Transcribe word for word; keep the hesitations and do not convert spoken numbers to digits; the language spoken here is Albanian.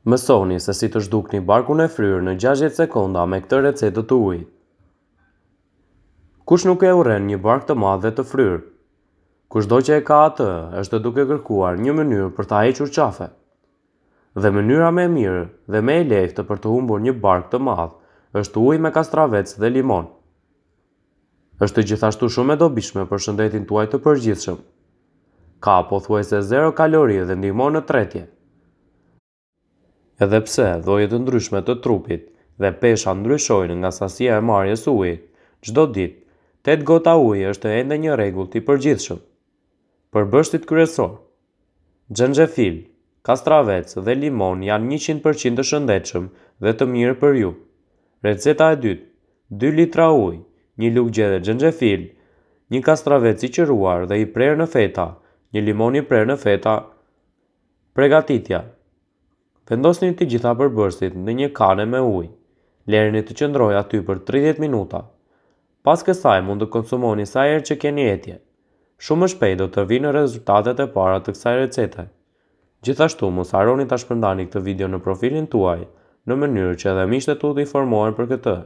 Mësoni se si të zhdukni barkun e fryrë në gjashtëdhjetë sekonda me këtë recetë të ujit. Kush nuk e urren një bark të madh dhe të fryrë? Kushdo që e ka atë, është duke kërkuar një mënyrë për ta hequr qafe. Dhe mënyra më e mirë dhe më e lehtë për të humbur një bark të madh është uji me kastravec dhe limon. Është gjithashtu shumë e dobishme për shëndetin tuaj të përgjithshëm. Ka pothuajse zero kalori dhe ndihmon në tretje. Edhe pse lloje të ndryshme të trupit dhe pesha ndryshojnë nga sasia e marrjes së ujit çdo ditë, tetë gota uji është ende një rregull i përgjithshëm. Përbërësit kryesor: xhenxhefil, kastravec dhe limon janë njëqind përqind të shëndetshëm dhe të mirë për ju. Receta e dytë: dy litra ujë, një lugë gjelle xhenxhefil, një kastravec i qëruar dhe i prerë në feta, një limon i prerë në feta. Pregatitja: vendosni të gjitha përbërësit në një kane me ujë. Lëreni të qëndrojë aty për tridhjetë minuta. Pas kësaj mund të konsumoni sa herë që keni etje. Shumë më shpejt do të vinë rezultatet e para të kësaj recete. Gjithashtu mos harroni ta shpërndani këtë video në profilin tuaj, në mënyrë që edhe miqtë e tu të informohen për këtë.